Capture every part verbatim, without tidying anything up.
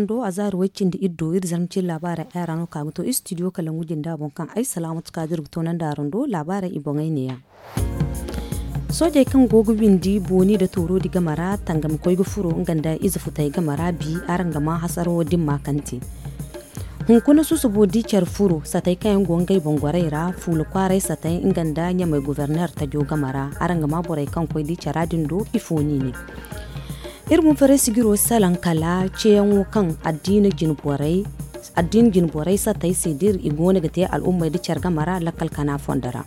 Do a zaari way cindi iri do iri zarma cindi laabaarey ay ra no ka ga to istidiyo kala ngu jinda boŋ kaŋ ay salaamatu ka dira ga to nandi araŋ do laabaarey i boŋey neeya. Soojey kaŋ go ga windi booni nda tooro di game ra tangam koy ga furo nga nda ize futey game ra bi araŋ ga maa hasaro dimma kaŋ te. Hunkuna susubo di care furo satey kaŋ yaŋ go ngey boŋ gorey ra fuula kwaaray satey nga nda ɲamey goborneer tajo game ra araŋ ga maa borey kaŋ koy di cara din do ifo no i ne. Iri bumfaray sijiro salaŋ kala ceeyaŋo kaŋ addiina jine borey satey se da iri i go no ga te al'ummey nda care game ra lakkal kana fondo ra.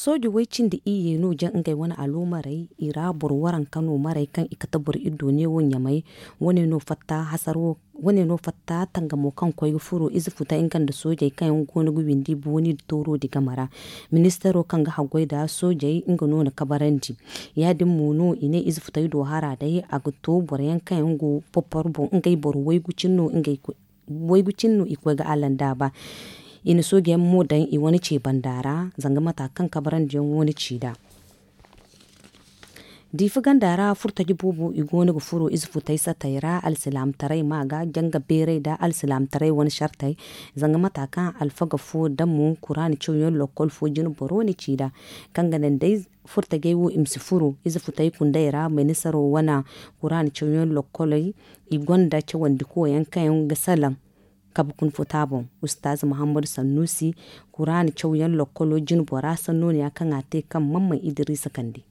Sooje way cindi iyye no jaŋ ngey wane aloomarey i ra boro waranka no marey kaŋ i kate boro iddo neewo ɲamey. Wane no fatta hasaro wane no fatta tangamo kaŋ koy ga furo ize futey nga nda soojey kaŋ yaŋ go no ga windi booni nda tooro di game ra. Ministaro kaŋ ga haggoy nda soojey nga no na kabarandi. Ya- din mo no i ne ize futey do hara day a ga to boro yaŋ kaŋ yaŋ go popporo boŋ ngey boro waygu cine no ngey koy waygu cine no i koy ga alanda ba. I na sooje yaŋ mo daŋ i wane ce banda ra zanga mata kaŋ kabarandi yaŋ wane ci nd'a. Diifa ganda ra furtaji boobo i go no ga furo ize futey satey ra alsilaamataray ma ga janga beeray nda alsilaamataray wane sartey. Zanga mata kaŋ alfaga fo damo kuraana cawyaŋ lokkol fo jine boro na ci nd'a kaŋ ga naŋ day furtajey wo i ma si furo ize futey kundey ra manisaro wane kuraana cawyaŋ lokkoley. I gonda cawandi koyaŋ kaŋ yaŋ ga salaŋ kabe kuna futa boŋ. Ustaaz muhammadu sannusi kuraana cawyaŋ lokkolo jinbora sannooniya kaŋ a te kaŋ mamman idiriisa kande.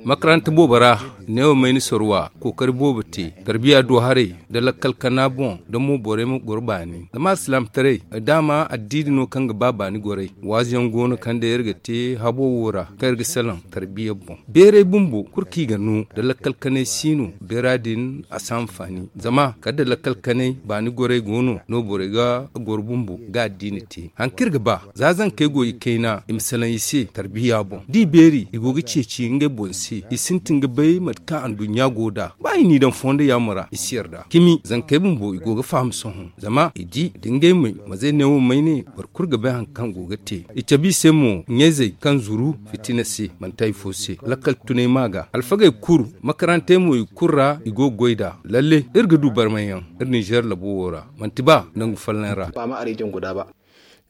Makaranta boobo ra neewo mayni sorwa kookari boobo te tarbiya do haray nda lakkal kana boŋ nda mo borey ma goro baani zama alsilaamataray daama addiini no kaŋ ga ba baani goray. Waazu yaŋ go no kaŋ day iri ga te habo wo ra kaŋ iri ga salaŋ tarbiya boŋ beeray bumbo kulu kaŋ i ga no nda lakkal kanay si no beera din a si hanfaani zama kala da lakkal kanay baani goray go no no borey ga goro bumbo ga addiini te hari kaŋ iri ga ba za zankey go i kayna i ma salaŋ i se tarbiya boŋ da i beeri i go ga ceeci ngey boŋ se i sintin ga bay mate kaŋ anduɲɲa go nd'a ba i n'i daŋ fondo yaamo ra i si yarda cimi zankey bumbo i go ga faham sohõ zama i di da ngey may mazey neewo may ne boro kulu ga bay hari kaŋ go ga te i cabe i se mo ɲayzey kaŋ zuru fitina se manti hari fo se lakkal tunay ma ga alfagey kulu makarantey mo i kulu ra i go ga goy nd'a lalle iri ga du barmay yaŋ iri ninzeer labo wo ra manti ba nangu folloŋ ra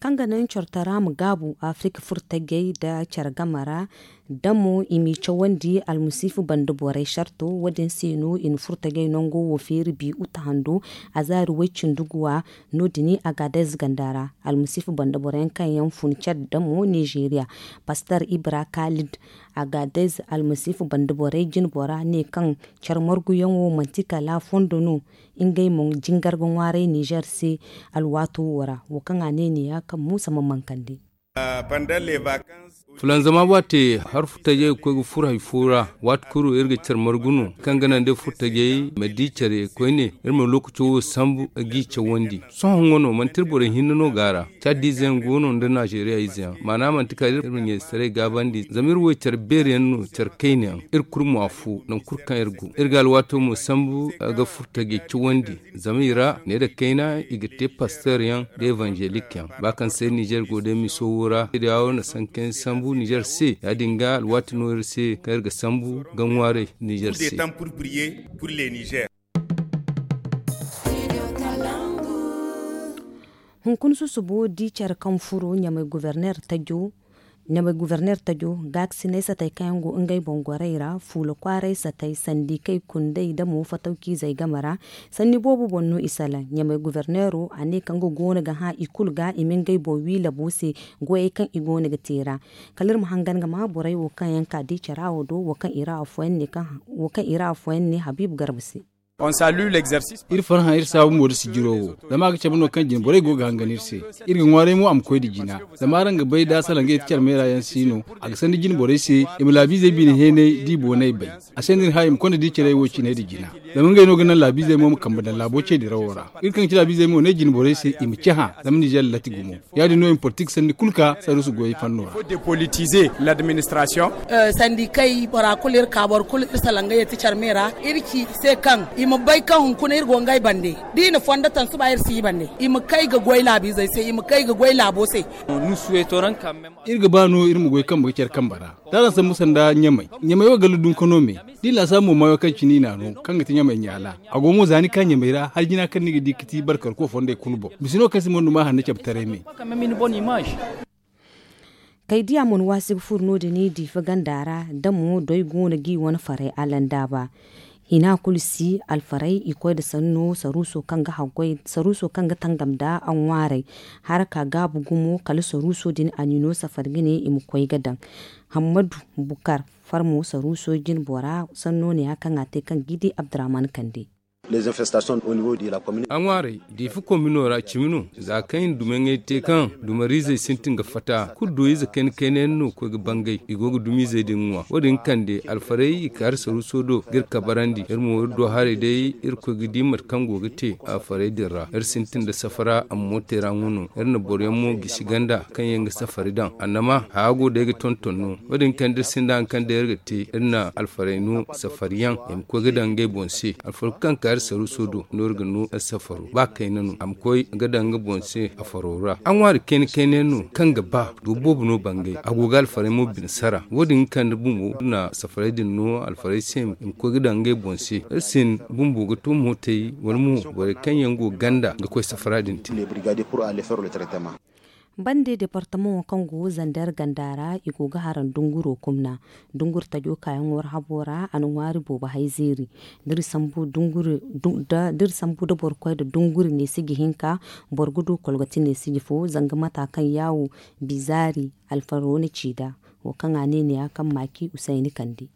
kaŋ ga naŋ coro tara ma gaabu afirika furtajey nda care game ra da mo i m'i cawandi almasiifu banda borey sarto wo- din se no i na furtajey nango wo feeri bi uta hando azaari way cindi guwa no- din agaadez ganda ra almasiifu banda boro yaŋ kaŋ yaŋ fun care da mo nizeeriya pastor ibra kaalid agaadez almasiifu banda borey jinbora ne kaŋ care marguyaŋo manti kala fondo no ngey mo jingar ga ŋwaaray nizeer se alwaato wo ra wo kaŋ a ne neeya kaŋ muusa ma mankandi fulanzama waate hari furtajey ga koy ga furo hari fo ra waati kulu iri ga care margu no kaŋ ga naŋ day furtajey ma di care koyne iri ma lookaco wo sambu ga i cawandi sohõ nga no manti iri borey hinne no go a ra caadiize yaŋ go no nda nazeeriya ize yaŋ maana manti kala iri ma ɲayzetaray gaabandi zama iri wo care beeri yaŋ no care kayna yaŋ iri kulu mo afo nangu kulu kaŋ iri go iri ga alwaato mo sambu ga furtajey cawandi zama i ra neera kayna i ga te pastor yaŋ da evanzelik yaŋ ba kaŋ se nizeer go day miso wo ra iri yawo na sanka yaŋ sambu nizeer se ya- din ga alwaati no iri se kaŋ iri ga sambu ga ŋwaaray nizeer se hunkuna susubo di care kaŋ furo ɲamay guberneer tajo gaakasinay satey kaŋ yaŋ go ngey boŋ gorey ra fuula kwaaray satey sandikey kundey da mo fatawciizey game ra sanni boobo boŋ no i salaŋ ɲamay guberneero a ne kaŋ ga goono ga hã i kulu ga i ma ngey boŋ wi labo se goyey kaŋ i goono ga te ra kala iri ma hangan ga ma borey wo kaŋ yaŋ ka di cara wo do wo kaŋ i ra afooyaŋ ne habiibu garba se iri farhã iri saabu mo da sijiro wo zama a ga cabe no kaŋ jinborey go ga hangan iri se iri ga ŋwaaray mo a ma koy nda jina zama araŋ ga bay da salangey ti care meera yaŋ si no a ga sandi jinborey se i ma laabiizey bine heenay da i boonay bay a se no iri hã i ma konda di carey wo cinay nda jina zama ngey no ga naŋ laabiizey mo ma kambe daŋ laabo ce dirawo ra iri kaŋ ga ci laabiizey mo ne jinborey se i ma cahã zama nizeer lati gumo ya- din no i ma politik sandi kulu ka saruusu goyey fanno ra sandikey bora kulu iri salaŋ ga yeti care me ra iri ci i se kaŋ Ma bay kaŋ hunkuna iri go ngey bande, da i na fondo taŋ suba iri si i bande. I ma kay ga goy laabiizey se, i ma kay ga goy laabo se. Iri ga ba no iri ma goy kambe ga care kambe ra. Taara sambu sanda ɲamay ɲamay wo galla dunkano me. Da i laasaabu mo maayo kaŋ cine i n'a no kaŋ ga ti ɲamay ɲaala. A go mo za ni ka ɲamay ra hari jina kaŋ ni ga di ga ti barkarko fondey kulu boŋ. Bisa no kaŋ si mondu ma hanna cabe taray me. Kay diya mo ni waasi ga furo no- din i diifa ganda ra da mo doy go no ga i wane faray alandaaba. Hina kulu si alfaray i koy nda sanno saruuso kaŋ ga tangam nda a ŋwaaray. Haraka gaabu gumo kala saruuso din a n'i no safari ga ne i ma koy ga daŋ. Hammadu bukar farmo saruuso jinbora sanno ne ya kaŋ a te kaŋ ga i di abdurrahman kande. A ŋwaaray diifa komino ra cimi no. Za kaŋ i na dumaŋey te kaŋ dumariizey sintin ga fatta kulu do ize kayna kayna yaŋ no ga koy ga bangay i go ga dumiizey din ŋwa wo- din kande alfarey i kaari saruuso do ga iri kabarandi iri mo iri do haray day iri koy ga di mate kaŋ go ga te alfarey din ra iri sintin nda safara amma mootey ra ŋwa no. Iri na boro yaŋ mo gisi ganda kaŋ yaŋ ga safari daŋ annama haya go day ga tonton no. Wo- din kaŋ da iri sinda hari kaŋ day iri ga te iri na alfarey no safari yaŋ i ma koy ga daŋ ngey boŋ se. Alfarku kaŋ kaari saruuso do no iri ga no iri safaro ba kayna no a ma koy ga daŋ nga boŋ se a faro ra a ŋwaari kayna kayna yaŋ no kaŋ ga ba do boobo no bangay a go ga alfarey mo bine sara wo- din ga kande bumbo iri na safarey din no alfarey se i ma koy ga daŋ ngey boŋ se. Iri sin bumbo ga to mootey wala mo borey kaŋ yaŋ go ganda ga koy safara din te. Bande departamaŋo kaŋ go zander ganda ra i go ga haraŋ dunguro kumna. Dungur tajo kaayaŋo ra habo ra a na ŋwaari boobo hay zeeri. D'iri sambu da boro koy nda dunguri neesiji hinka boro ga du kolgati neesiji fo zanga mata kaŋ yaawo bizaari alfaro na ci nd'a. Wo kaŋ a ne ne ya kaŋ maaki usayni kande.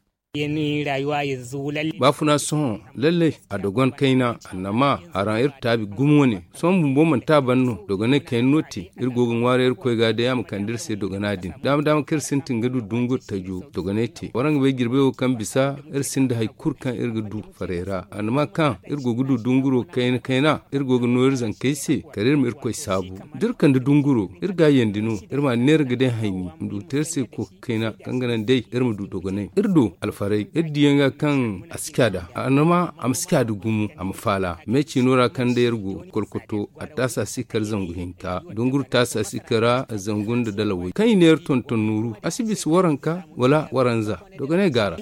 Baafuna sohõ lallay a dogon kayna annama haraŋ iri taabi gumo wane. Sohõ bumbo manti a ban no dogonay kayna no te iri go ga ŋwaaray irkoy ga day a ma kande iri se dogona din daama daama kaŋ iri sintin ga du dungur tajo dogonay te waraŋ ga bay jirbey wo kaŋ bisa iri sinda hari kulu kaŋ iri ga du faray ra annama kaŋ iri go ga du dunguro kayna kayna iri go ga no iri zankey se kala iri ma irkoy saabu. Da iri kande dunguro iri ga a yandi no iri ma a neera ga day hayni ma du ga te iri se kooka kayna kaŋ ga naŋ day iri ma du dogonay iri do alfaray iri diyaŋ ga kaŋ a si ca nd'a annama a ma si ca nda gumo a ma faala me ciino ra kaŋ day iri go kolkoto a taasa si kar zangu hinka dunguru taasa si kar zangu nda dalawey kaŋ i ne iri tonton nooru a si bisa waranka wala waranza dogonay gaara.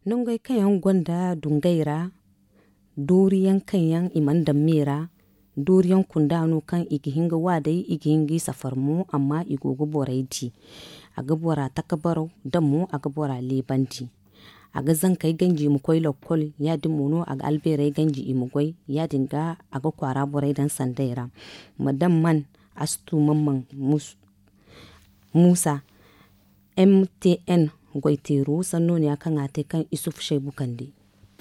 Nongey kaŋ yaŋ gonda dungey ra dooriyaŋ kaŋ yaŋ i mana daŋ me ra dooriyaŋ kunda no kaŋ i ga hin ga wa day i ga hin ga i safar mo amma i go ga borey di. A ga bora taka baraw da mo a ga bora leebandi. A ga zankey ganji i ma koy lokkol ya- din mo no a ga albeerey ganji i ma goy ya- din ga a ga kwaara borey daŋ sandey ra. Madam man astu mamman muusa m t n goyteero sanno ne ya kaŋ a te kaŋ isufu shaybu kande.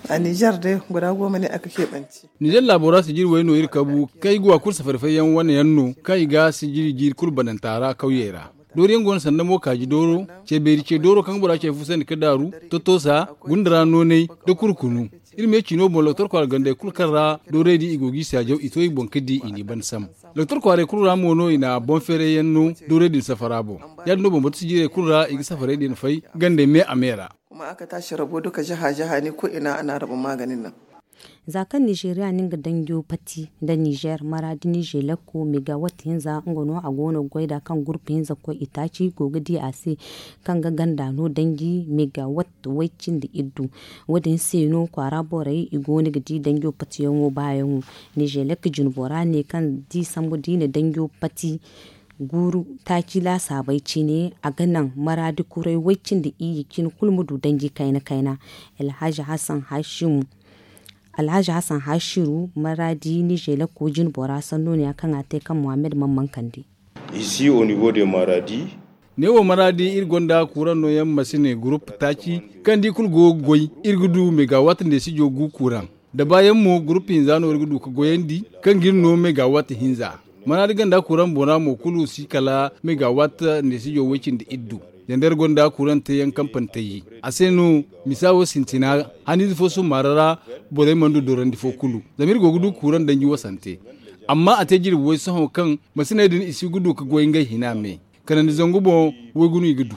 A nizer day gora go ma ne a ga keebanci. Nizer laabo ra sijiri way no iri kabu kaŋ ay go a kulu safari fayyaŋ wane yaŋ no kaŋ i ga sijiri jiiri kulu bananta ra kawyey ra. Dooriyaŋ go no sanda mo kaaji dooro ce beeri ce dooro kaŋ bora ce fu sandi ka daaru totosa gunda ra noonay da kurkunu. Iri me ciino boŋ doktor kwaara gandey kulu kaŋ ra doorey din i go ga i saajaw i to i boŋ ka di i n'i banda sambu. Doktor kwaarey kulu ra mo no i na boŋ feeray yaŋ no doorey din safara boŋ. Ya- din no bambata sijirey kulu ra i ga safarey din fay gandey me a me ra. Kuma a ka taasi rabo duka jaha jaha ni koy ina a na rabo maaganin naŋ. Za kaŋ nizeeriya na nga danjo pati nda nizer maraadi nizeelakko megawat hinza nga no a go no ga goy nd'a kaŋ gurpu hinza koy itaaci go ga di a se kaŋ ga ganda no danji megawat way cindi iddu. Wo- din se no kwaara borey i go no ga di danjo patiyaŋo baayaŋo. Nizeelakko jinbora ne kaŋ da i sambu da i na danjo pati guuru taaci laasaabey cine a ga naŋ maraadi kuray way cindi iyye cine kulu ma du danji kayna kayna. Alhaji hassan hashimu alhaji hassan hashiru maraadi nizeelakko jinbora sanno ne ya kaŋ a te kaŋ muhammad mamman kande. Isi au niveau de maradi. Ne wo maraadi iri gonda kuuraŋ nooyaŋ masine gurup taaci kaŋ da i kulu go ga goy iri ga du megawat nda sijo gu kuuraŋ. Da baayaŋ mo gurup hinza no iri ga du ga goyandi kaŋ ga iri no megawat hinza. Maraadi ganda kuuraŋ boŋ ra mo kulu si kala megawat nda sijo way cindi iddu. Zanda iri gonda kuuraŋ teeyaŋ kampani tayji a se no misa wo sintina haniize fo summaara ra. Borey mana du dorandi fo kulu zama iri go ga du kuuraŋ danji wasante. Amma a te jirbi way sohõ kaŋ masiney din i si ga du ga goy ngey hina me kanandi zangu boŋ. Waygu no i ga du.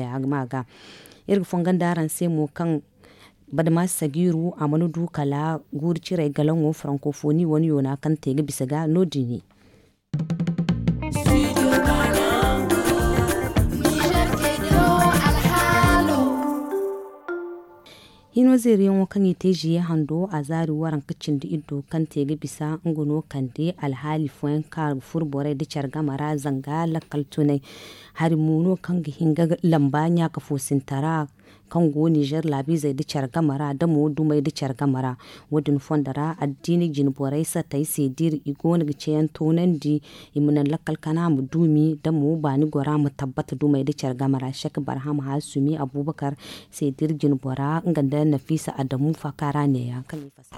koya ma ga. Iri ga fongon da araŋ se mo kaŋ badama sagiiru a mana du kala guuru ciray galaŋo frankofoni wane yoona kaŋ te ga bisa ga no- din ne. Hino zeeriyaŋo kaŋ i te ziye hando a zaari waranka cindi iddo kaŋ te ga bisa nga no kande alhaali fooyaŋ kaŋ a ga furo borey nda care game ra zanga lakkal tunay. Hari mo no kaŋ ga hin ga lamba ɲaaka foosintara kaŋ go nizer laabiizey nda care game ra da mo dumey nda care game ra. Wo- din fondo ra addiina jine borey satey se da iri i go no ga ceeyaŋ toonandi i ma naŋ lakkal kana ma duumi da mo baani gora ma tabbata dumey nda care game ra sek barham haasumi abubakar se da iri jine bora nga nda nafiisa adamu faaka ra neeya kaŋ i fasa.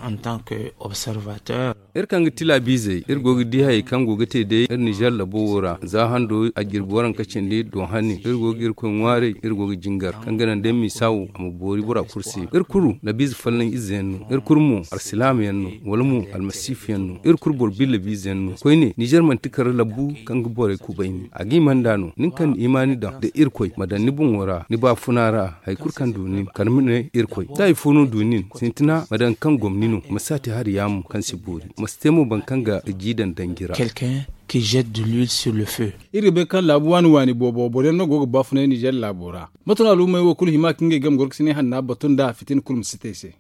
Iri kaŋ ga ti laabiizey iri go ga di hayey kaŋ go ga te day iri nizer labo wo ra za hando a jirbi waranka cindi do hani iri go ga irkoy ŋwaaray iri go ga jingar kaŋ ga naŋ day misa wo a ma boori bora kulu se. Iri kulu labiize folloŋ ize yaŋ no iri kulu mo alsilaama yaŋ no wala mo almasiifu yaŋ no iri kulu boro bi labiize yaŋ no koyne nizer manti kar labu kaŋ ga borey kubayni a ga hima nd'a no nin kaŋ na imaani daŋ da irkoy ma daŋ ni boŋo ra ni baafuna ra hari kulu kaŋ du nin kala ma ne irkoy da hari fo no du nin sintina ma daŋ kaŋ gomni no ma si a te hari yaamo kaŋ si boori ma si te mo boro kaŋ ga ji daŋ danji ra. Iri ga bay kaŋ laabu waani waani boobo boro yaŋ no go ga baafunay nizer laabo ra. Mate no al'ummey wo kulu hima ka ngey game gorkasinay hanna batu nda fitina kulu ma si te i se.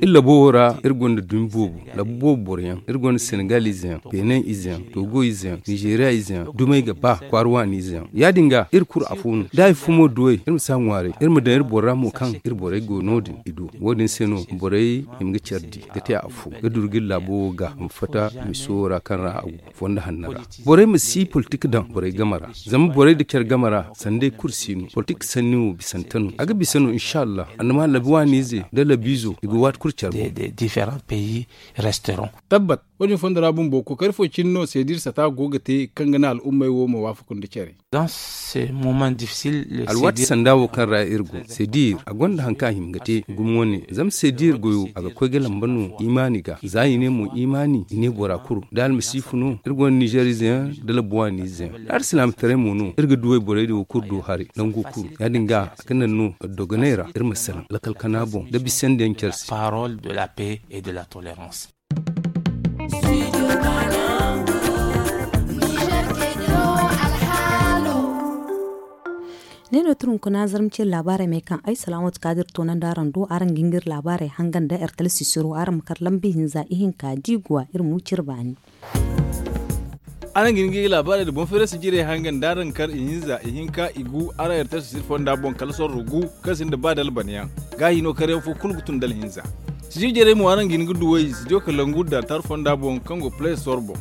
Iri labo wo ra iri gonda dumi boobo labu boobo boro yaŋ iri gonda senegal ize yaŋ benin ize yaŋ togo ize yaŋ nizeeriya ize yaŋ dumey ga ba kwaara waani ize yaŋ ya- din ga iri kulu afo no da hari fo mo duwey iri ma si a ŋwaaray iri ma daŋ iri boro ra mo kaŋ iri borey go no- din i du wo- din se no borey hima ga care di ga te afo ga duru ga iri laabo wo ga a ma fatta miso wo ra kaŋ ra a go fondo hanno ra. Borey ma si politik daŋ borey game ra zama borey nda care game ra sanday kulu si no politik sanni wo bisante no a ga bisa no insa allah annama labi waaniize nda labiizo i ga waati kulu care boŋ. Tabbat, wo- din fondo ra bumbo kookari fo cine no seediir sata go ga te kaŋ ga naŋ al'ummey wo ma waafaku nda care. Alwaati sanda wo kaŋ ra iri go seediir a gonda hari kaŋ a hima ga te gumo wane zama seediir goyo a ga koy ga lamba no imaani ga za i ne mo imaani i ne bora kulu da almasiifu no iri gonda nizer ize yaŋ da labuwaani ize yaŋ da alsilaamataray mo no iri ga duwey borey din wo kulu do haray nango kulu ya- din ga a ga naŋ no dogoney ra iri ma salaŋ lakkal kana boŋ da bisandi yaŋ care se. Ne no tun hunkuna zarma cire laabaarey me kaŋ ay salaamatu kaadir toonandi araŋ do araŋ ga hin ga iri laabaarey hangan nda ertel sisiro araŋ ma kar lambi hinza ihinka diiguwa iri ma wi cire baani. Araŋ ga hin ga iri laabaarey nda boŋ feerasi jirey hangan nda araŋ kar ihinza ihinka igu araŋ ertel sisiro fonda boŋ kala sorro gu kaŋ sinda ba dalbana yaŋ. Gaahi no karyaŋ fo kulu ga tun dala hinza. Sijir jarey mo araŋ ga hin ga duwey sidiyo kalangu da tar fonda boŋ kaŋ go play store boŋ.